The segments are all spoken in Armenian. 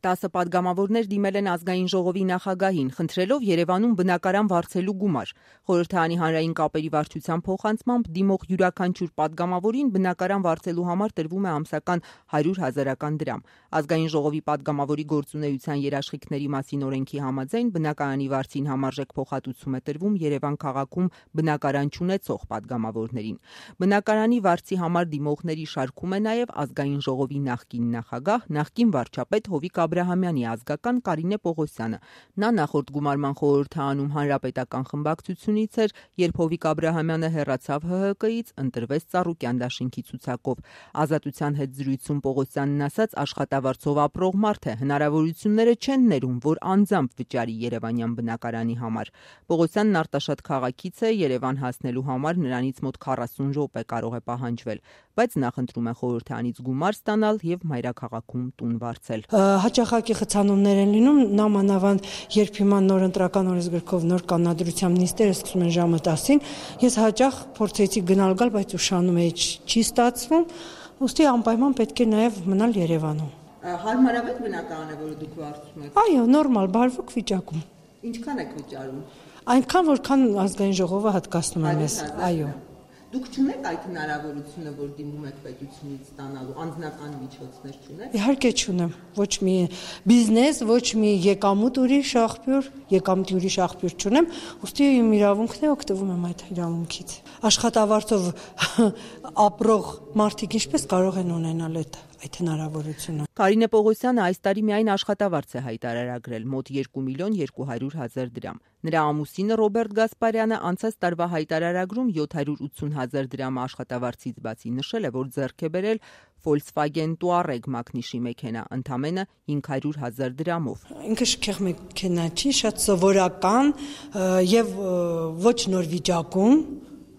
10 պատգամավորներ դիմել են ազգային ժողովի նախագահին, խնդրելով Երևանում բնակարան վարձելու գումար։ Խորհրդարանի հանրային կապերի վարչության փոխանցմամբ դիմող յուրաքանչյուր պատգամավորին բնակարան վարձելու համար տրվում է ամսական 100,000 դրամ։ Ազգային ժողովի պատգամավորի գործունեության երաշխիքների մասին օրենքի համաձայն բնակարանի վարձին համարժեք փոխհատուցում է տրվում Երևան քաղաքում բնակարան չունեցող պատգամավորներին։ Բնակարանի վարձի համար դիմողների շարքում է նաև ազգային ժողովի նախկին նախագահ, նախկին վարչապետ Հովիկ Աբրահամյանի ազգական Կարինե Պողոսյանը։ Նա նախորդ գումարման խորհրդարանում հանրապետական խմբակցությունից էր, երբ Հովիկ Աբրահամյանը հեռացավ ՀՀԿ-ից, ընտրվեց Ծառուկյան դաշինքի ցուցակով։ Ազատության հետ զրույցում Պողոսյանն ասաց, աշխատավարձով ապրող մարդ է, հնարավորությունները չեն ներում, որ անձամբ վճարի երևանյան բնակարանի համար։ Պողոսյանն Արտաշատ քաղաքից է, Երևան հասնելու համար նրանից մոտ 40 րոպե կարող է պահանջվել, բայց նա խնդրում է խորհրդարանից գումար ստանալ եւ մայրաքաղաքում տուն վարձել։ Հաճախակի խցանումներ են լինում, նամանավանդ երբ հիմա նոր ընտրական օրենսգրքով նոր կանոնադրությամբ նիստերը սկսում են ժամը 10-ին, ես հաճախ փորձեցի գնալ գալ, բայց ուշանում էի, չի ստացվում, ուստի անպայման պետք է նաեւ մնալ Երևանում։ Հարմարավետ բնակարան է, որը դուք վարձում եք։ Այո, նորմալ, բարվոք վիճակում։ Ինչքան եք վճարում։ Այնքան, որքան ազգային ժողովը հատկացնում է մեզ։ Այո։ Դուք չունեք այդ հնարավորությունը, որ դիմում եք պետությունից ստանալու անձնական միջոցներ չունեք։ Իհարկե չունեմ, ոչ մի բիզնես, ոչ մի եկամուտ ուրիշ աղբյուր չունեմ, ուստի իմ իրավունքն է, օգտվում եմ այդ իրավունքից։ Աշխատավարձով ապրող մարդիկ ինչպես կարող են ունենալ այդ հնարավորությունը։ Կարինե Պողոսյանը այս տարի միայն աշխատավարձ է հայտարարագրել մոտ 2,200,000 դրամ։ Նրա ամուսինը Ռոբերտ Գասպարյանը անցած տարվա հայտարարագրում 780,000 դրամ աշխատավարձից բացի նշել է, որ ձեռք է բերել Volkswagen Touareg մակնիշի մեքենա, ընդամենը 500,000 դրամով։ Ինքը շքեղ մեքենա չի, շատ սովորական եւ ոչ նոր վիճակում,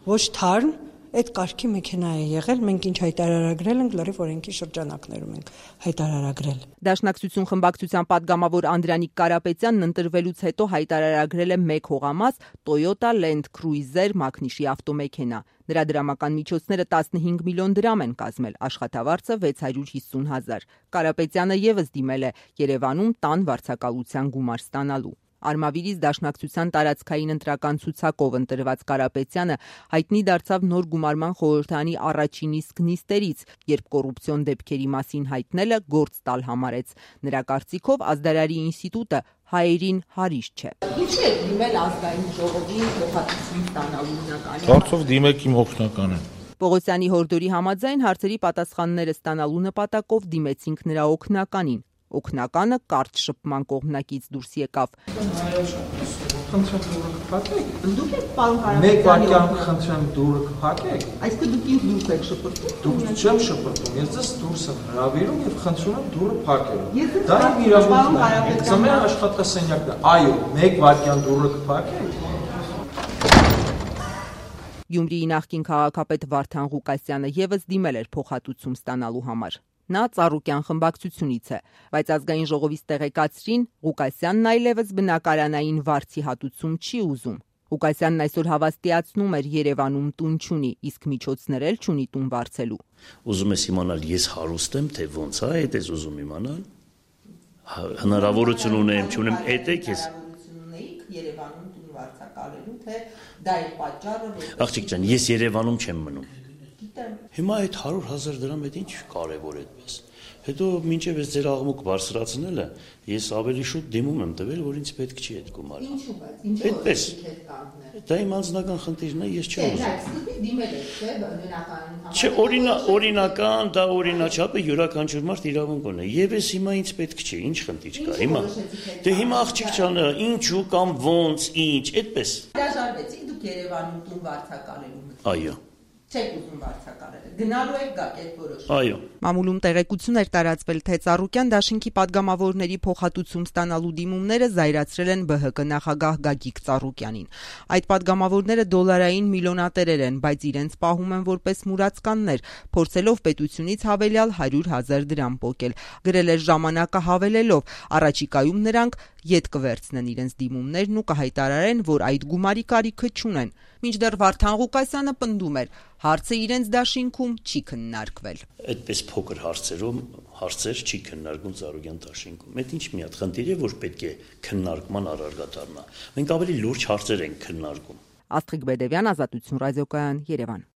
ոչ թարմ, այդ կարգի մեքենա է եղել, մենք ինչ հայտարարագրել ենք, լրիվ օրենքի շրջանակներում ենք հայտարարագրել։ Դաշնակցություն խմբակցության պատգամավոր Անդրանիկ Կարապետյանն ընտրվելուց հետո հայտարարագրել է 1 հողամաս Toyota Land Cruiser մակնիշի ավտոմեքենա։ Նրա դրամական միջոցները 15 միլիոն դրամ են կազմել, աշխատավարձը 650,000։ Կարապետյանը եւս դիմել է Երևանում տան վարձակալության գումար ստանալու։ Արմավիրից Դաշնակցության տարածքային ընտրական ցուցակով ընտրված Կարապետյանը հայտնի դարձավ նոր գումարման խորհրդարանի առաջին իսկ նիստերից, երբ կոռուպցիոն դեպքերի մասին հայտնելը գործ տալ համարեց։ Նրա կարծիքով Ազդարարի ինստիտուտը հայերին հարիշ չէ։ Ինչու է դիմել ազգային ժողովի փոխհատուցում ստանալու հիմնական։ Կարծով դիմեք իմ օգնականին։ Պողոսյանի հորդորի համաձայն հարցերի պատասխանները ստանալու նպատակով դիմեցինք նրա օգնականին։ Օգնականը կարճ շփման կողմնակից դուրս եկավ։ Խնդրեմ դուրը կփակեք։ Դուք եք պարոն Կարապետյանի։ Մեկ վայրկյան խնդրեմ դուրը կփակեք։ Այսինքն դուք ինձ դուրս եք շփոթում։ Դուք չեմ շփոթում, ես ձեզ դուրս եմ հրավիրում եւ խնդրում եմ դուրը փակել։ Դա իմ իրավունքն է։ Ձմեռ աշխատասենյակն է։ Այո, մեկ վայրկյան դուրը կփակեք։ Գյումրիի նախկին քաղաքապետ Վարդան Ղուկասյանը եւս դիմել էր փոխհատուցում ստանալու համար։ Նա Ծառուկյան խմբակցությունից է, բայց ազգային ժողովից տեղեկացրին, Ղուկասյանն այլևս բնակարանային վարձի հատուցում չի ուզում։ Ղուկասյանն այսօր հավաստիացնում էր Երևանում տուն չունի, իսկ միջոցներ էլ չունի տուն վարձելու։ Ուզում ես իմանալ ես հարուստ եմ, թե ոնց է, այդ ես ուզում իմանալ։ Հնարավորություն ունեմ, չունեմ, այդ ես Երևանում տուն վարձակալելու, թե դա է պատճառը։ Աղջիկ ջան, ես Երևանում չեմ մնում։ Հիմա այդ 100,000 դրամ այդ ինչ կարևոր է այդպես։ Հետո մինչև ես ձեր աղմուկ բարձրացնելը, ես ավելի շուտ դիմում եմ տվել, որ ինձ պետք չի այդ գումարը։ Ինչու՞ բայց, ինչու՞ այդպես։ Դա իմ անձնական խնդիրն է, ես չեմ ուզում։ Դիմել եք, չէ՞, բնակարանի։ Չէ, օրինական, դա օրինաչափ է, յուրաքանչյուր մարդ իրավունք ունի։ Եվ ես հիմա ինձ պետք չի, ինչ խնդիր կա հիմա։ Դե հիմա աղջիկ ջան, ինչու կամ ոնց, ինչ, այդպես։ Հրաժարվեցիք դուք Երևանում տուն վարձակալելու։ Այո։ Չեք ուզում վարձակալել։ Գնալու եք գաք այդ որոշ։ Այո։ Մամուլում տեղեկություն էր տարածվել, թե Ծառուկյան դաշինքի պատգամավորների փոխհատուցում ստանալու դիմումները զայրացրել են ԲՀԿ նախագահ Գագիկ Ծառուկյանին։ Այդ պատգամավորները դոլարային միլիոնատերեր են, բայց իրենց պահում են որպես մուրացկաններ, փորձելով պետությունից հավելյալ 100,000 դրամ պոկել։ Գրել էր ժամանակը հավելելով, առաջիկայում նրանք ետ կվերցնեն իրենց դիմումներն ու կհայտարարեն, որ այդ գումարի կարիքը չունեն։ Մինչդեռ Վարդան Ղուկասյանը պնդում էր, հարցը իրենց դաշինքում չի քննարկվել։ Այդպես փոքր հարցերում հարցեր չի քննարկում Ծառուկյան դաշինքում։ Այդ ինչ մի հատ խնդիր է, որ պետք է քննարկման առարկա դառնա։ Մենք ավելի լուրջ հարցեր ենք քննարկում։ Աստղիկ Բեդևյան, Ազատություն ռադիոկայան, Երևան։